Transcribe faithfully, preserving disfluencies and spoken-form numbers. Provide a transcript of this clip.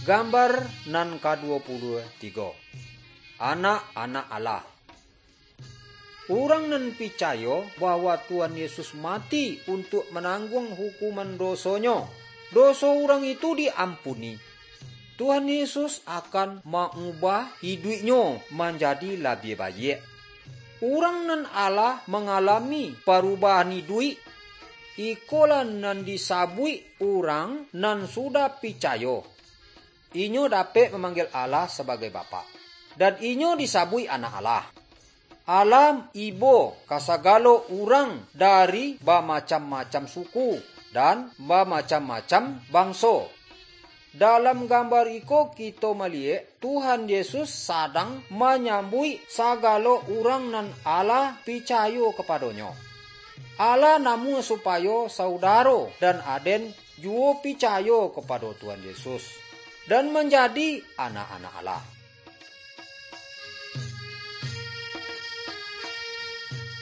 Gambar nan kaduo puluah tigo. Anak-anak Allah. Urang nan picayo bahwa Tuhan Yesus mati untuak manangguang hukuman dosonyo, doso urang itu diampuni. Tuhan Yesus akan maubah iduiknyo manjadi labiah baiak. Urang nan alah mangalami parubahan iduik, ikolah nan disabuik urang nan sudah picayo. Inyo dapek mamanggia Allah sabagai Bapak, dan inyo disabuik anak Allah. Allah ibo ka sagalo urang dari bamacam-macam suku dan bamacam-macam bangso. Dalam gambar iko kito maliek Tuhan Yesus sadang manyambuik sagalo urang nan alah picayo kapadonyo. Allah namuah supayo saudaro dan aden juo picayo kapado Tuhan Yesus, dan manjadi anak-anak Allah.